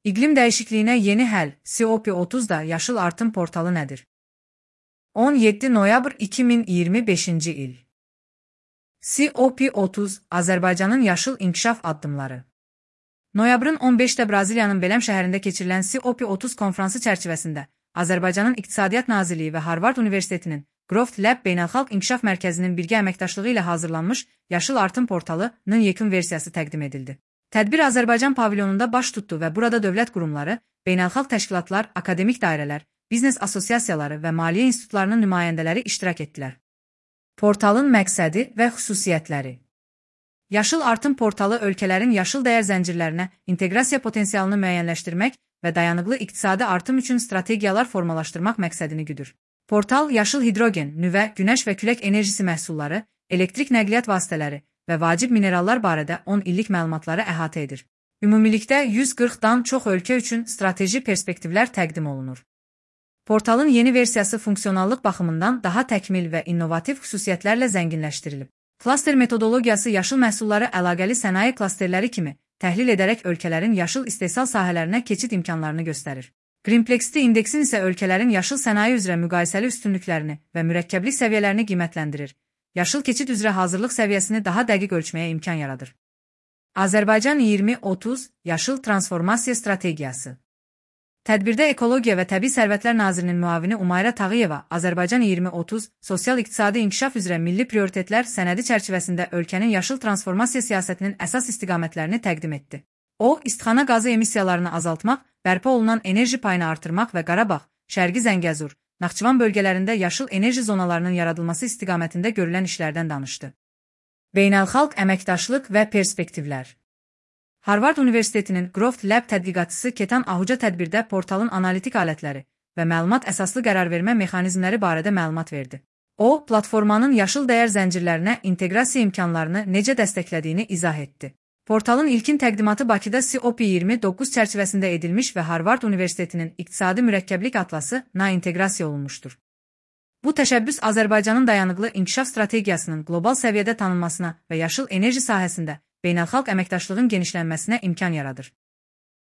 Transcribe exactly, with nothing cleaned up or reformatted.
İqlim dəyişikliyinə yeni həll C O P otuz da yaşıl artım portalı nədir? on yeddi noyabr iki min iyirmi beşinci il. C O P otuz Azərbaycanın yaşıl inkişaf addımları. Noyabrın on beşində Braziliyanın Belém şəhərində keçirilən C O P otuz konfransı çərçivəsində Azərbaycanın İqtisadiyyat Nazirliyi və Harvard Universitetinin Growth Lab Beynəlxalq İnkişaf Mərkəzinin birgə əməkdaşlığı ilə hazırlanmış Yaşıl Artım portalının yekun versiyası təqdim edildi. Tədbir Azərbaycan pavilyonunda baş tutdu və burada dövlət qurumları, beynəlxalq təşkilatlar, akademik dairələr, biznes assosiasiyaları və maliyyə institutlarının nümayəndələri iştirak etdilər. Portalın məqsədi və xüsusiyyətləri. Yaşıl Artım portalı ölkələrin yaşıl dəyər zəncirlərinə inteqrasiya potensialını müəyyənləşdirmək və dayanıqlı iqtisadi artım üçün strategiyalar formalaşdırmaq məqsədini güdür. Portal yaşıl hidrogen, nüvə, günəş və külək enerjisi məhsulları, elektrik nəqliyyat vasitələri və vacib minerallar barədə on illik məlumatları əhatə edir. Ümumilikdə yüz qırxdan çox ölkə üçün strateji perspektivlər təqdim olunur. Portalın yeni versiyası funksionallıq baxımından daha təkmil və innovativ xüsusiyyətlərlə zənginləşdirilib. Klaster metodologiyası yaşıl məhsulları əlaqəli sənaye klasterləri kimi təhlil edərək ölkələrin yaşıl istehsal sahələrinə keçid imkanlarını göstərir. Greenplexity indeksin isə ölkələrin yaşıl sənaye üzrə müqayisəli üstünlüklərini və mürəkkəblik səviyyələrini qiymətləndirir. Yaşıl keçid üzrə hazırlıq səviyyəsini daha dəqiq ölçməyə imkan yaradır. Azərbaycan iyirmi otuz Yaşıl Transformasiya Strategiyası. Tədbirdə Ekologiya və Təbii Sərvətlər Nazirinin müavini Umayrə Tağıyeva Azərbaycan iyirmi otuz sosial-iqtisadi inkişaf üzrə milli prioritetlər sənədi çərçivəsində ölkənin yaşıl transformasiya siyasətinin əsas istiqamətlərini təqdim etdi. O, istixana qazı emissiyalarını azaltmaq, bərpa olunan enerji payını artırmaq və Qarabağ, Şərqi Zəngəzur, Naxçıvan bölgələrində yaşıl enerji zonalarının yaradılması istiqamətində görülən işlərdən danışdı. Beynəlxalq əməkdaşlıq və perspektivlər. Harvard Universitetinin Growth Lab tədqiqatçısı Ketan Ahuca tədbirdə portalın analitik alətləri və məlumat əsaslı qərarvermə mexanizmləri barədə məlumat verdi. O, platformanın yaşıl dəyər zəncirlərinə inteqrasiya imkanlarını necə dəstəklədiyini izah etdi. Portalın ilkin təqdimatı Bakıda C O P iyirmi doqquz çərçivəsində edilmiş və Harvard Universitetinin İqtisadi Mürəkkəblik Atlası-na inteqrasiya olunmuşdur. Bu təşəbbüs Azərbaycanın dayanıqlı inkişaf strategiyasının qlobal səviyyədə tanınmasına və yaşıl enerji sahəsində beynəlxalq əməkdaşlığın genişlənməsinə imkan yaradır.